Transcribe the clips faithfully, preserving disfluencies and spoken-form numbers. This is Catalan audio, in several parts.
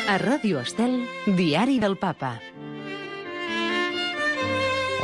A Ràdio Estel, Diari del Papa.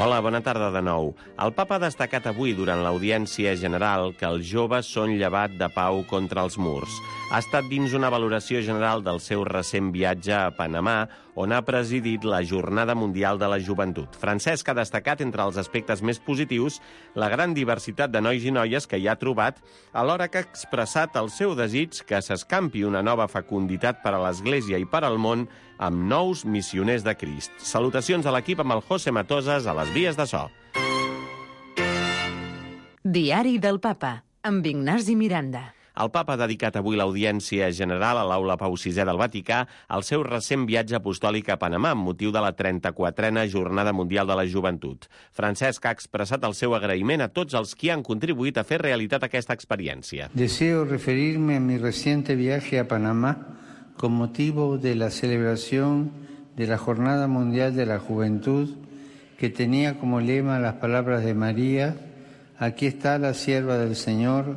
Hola, bona tarda de nou. El papa ha destacat avui durant l'audiència general que els joves són llevat de pau contra els murs. Ha estat dins una valoració general del seu recent viatge a Panamà, on ha presidit la Jornada Mundial de la Joventut. Francesc ha destacat entre els aspectes més positius la gran diversitat de nois i noies que hi ha trobat, alhora que ha expressat el seu desig que s'escampi una nova fecunditat per a l'Església i per al món amb nous missioners de Crist. Salutacions a l'equip amb el José Matoses a les vies de so. Diari del Papa, amb Ignasi Miranda. El papa ha dedicat avui l'audiència general a l'Aula Pau sisè del Vaticà al seu recent viatge apostòlic a Panamà amb motiu de la trenta-quatrena Jornada Mundial de la Joventut. Francesc ha expressat el seu agraïment a tots els que han contribuït a fer realitat aquesta experiència. Deseo referirme a mi reciente viaje a Panamá con motivo de la celebración de la Jornada Mundial de la Juventud, que tenía como lema las palabras de María: aquí está la sierva del Señor,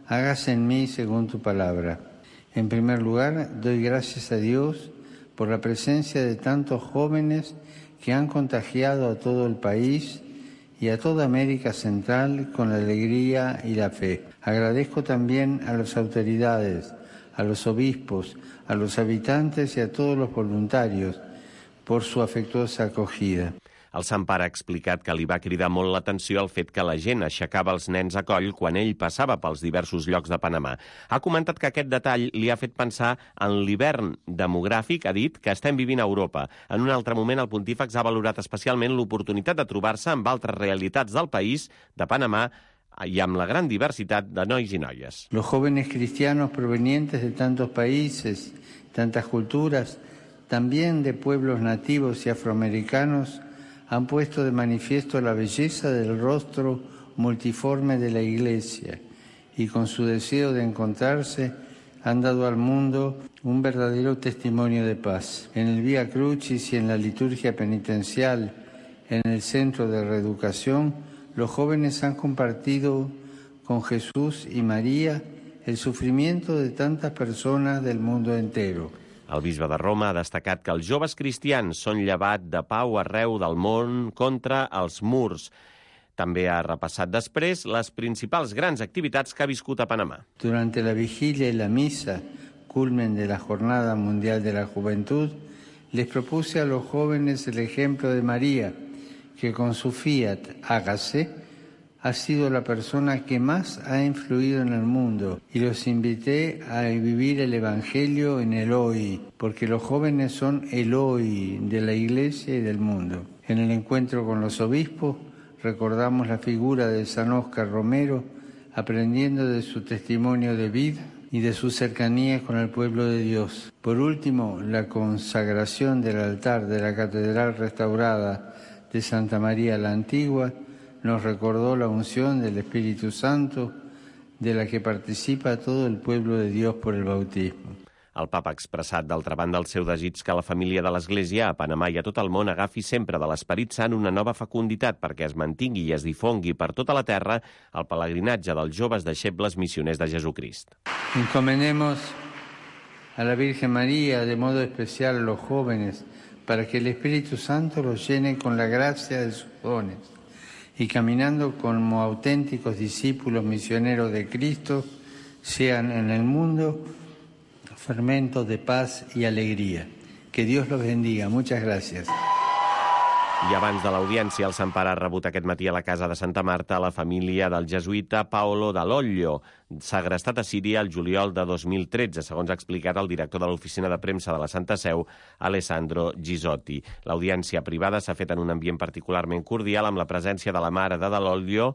hágase en mí según tu palabra. En primer lugar, doy gracias a Dios por la presencia de tantos jóvenes que han contagiado a todo el país y a toda América Central con la alegría y la fe. Agradezco también a las autoridades, a los obispos, a los habitantes y a todos los voluntarios por su afectuosa acogida. El Sant Pare ha explicat que li va cridar molt l'atenció el fet que la gent aixecava els nens a coll quan ell passava pels diversos llocs de Panamà. Ha comentat que aquest detall li ha fet pensar en l'hivern demogràfic, ha dit, que estem vivint a Europa. En un altre moment, el pontífex ha valorat especialment l'oportunitat de trobar-se amb altres realitats del país, de Panamà, y amb la gran diversidad de nois y noies. Los jóvenes cristianos provenientes de tantos países, tantas culturas, también de pueblos nativos y afroamericanos, han puesto de manifiesto la belleza del rostro multiforme de la Iglesia y con su deseo de encontrarse han dado al mundo un verdadero testimonio de paz. En el Vía Crucis y en la liturgia penitencial, en el Centro de Reeducación, los jóvenes han compartido con Jesús y María el sufrimiento de tantas personas del mundo entero. El bisbe de Roma ha destacat que els joves cristians són llevat de pau arreu del món contra els murs. També ha repassat després les principals grans activitats que ha viscut a Panamà. Durante la vigilia y la misa, culmen de la Jornada Mundial de la Juventud, les propuse a los jóvenes el ejemplo de María, que con su fiat hágase ha sido la persona que más ha influido en el mundo, y los invité a vivir el Evangelio en el hoy, porque los jóvenes son el hoy de la Iglesia y del mundo. En el encuentro con los obispos recordamos la figura de San Óscar Romero, aprendiendo de su testimonio de vida y de su cercanía con el pueblo de Dios. Por último, la consagración del altar de la Catedral restaurada de Santa María la Antigua nos recordó la unción del Espíritu Santo de la que participa todo el pueblo de Dios por el bautismo. El papa ha expressat, d'altra banda, el seu desig que la família de l'Església a Panamà i a tot el món agafi sempre de l'Esperit Sant una nova fecunditat perquè es mantingui i es difongui per tota la terra el pelegrinatge dels joves deixebles missioners de Jesucrist. Encomendemos a la Virgen María, de modo especial a los jóvenes, para que el Espíritu Santo los llene con la gracia de sus dones y caminando como auténticos discípulos misioneros de Cristo, sean en el mundo fermentos de paz y alegría. Que Dios los bendiga. Muchas gracias. I abans de l'audiència, el Sant Pare ha rebut aquest matí a la casa de Santa Marta la família del jesuïta Paolo Dall'Oglio, segrestat a Síria el juliol de dos mil tretze, segons ha explicat el director de l'oficina de premsa de la Santa Seu, Alessandro Gisotti. L'audiència privada s'ha fet en un ambient particularment cordial amb la presència de la mare de Dall'Oglio,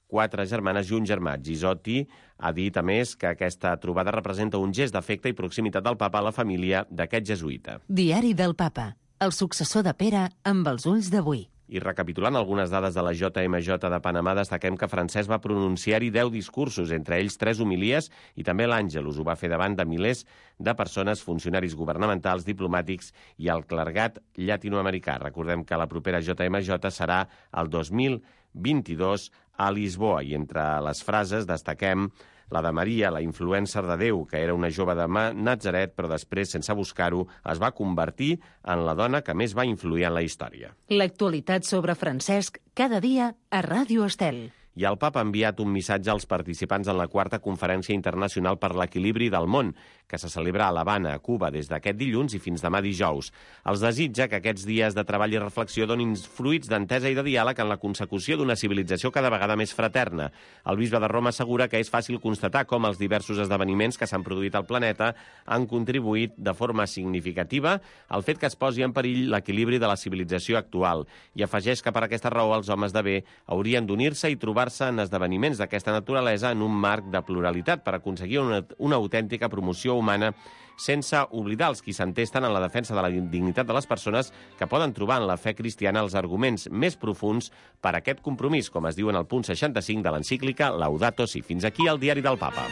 quatre germanes i un germà. Gisotti ha dit, a més, que aquesta trobada representa un gest d'afecte i proximitat del papa a la família d'aquest jesuïta. Diari del Papa, el successor de Pere amb els ulls d'avui. I recapitulant algunes dades de la J M J de Panamà, destaquem que Francesc va pronunciar-hi deu discursos, entre ells tres homilies, i també l'Àngelus ho va fer davant de milers de persones, funcionaris governamentals, diplomàtics i el clergat llatinoamericà. Recordem que la propera J M J serà el dos mil vint-i-dos a Lisboa, i entre les frases destaquem la de Maria, la influencer de Déu, que era una jove de Natzaret, però després, sense buscar-ho, es va convertir en la dona que més va influir en la història. L'actualitat sobre Francesc cada dia a Ràdio Estel. I el papa ha enviat un missatge als participants en la quarta Conferència Internacional per l'Equilibri del Món, que se celebra a l'Havana, a Cuba, des d'aquest dilluns i fins demà dijous. Els desitja que aquests dies de treball i reflexió donin fruits d'entesa i de diàleg en la consecució d'una civilització cada vegada més fraterna. El bisbe de Roma assegura que és fàcil constatar com els diversos esdeveniments que s'han produït al planeta han contribuït de forma significativa al fet que es posi en perill l'equilibri de la civilització actual, i afegeix que per aquesta raó els homes de bé haurien d'unir-se i trobar en esdeveniments d'aquesta naturalesa en un marc de pluralitat per aconseguir una, una autèntica promoció humana, sense oblidar els qui s'entesten en la defensa de la dignitat de les persones, que poden trobar en la fe cristiana els arguments més profuns per a aquest compromís, com es diu en el punt seixanta-cinc de l'encíclica Laudato Si. Fins aquí el diari del Papa.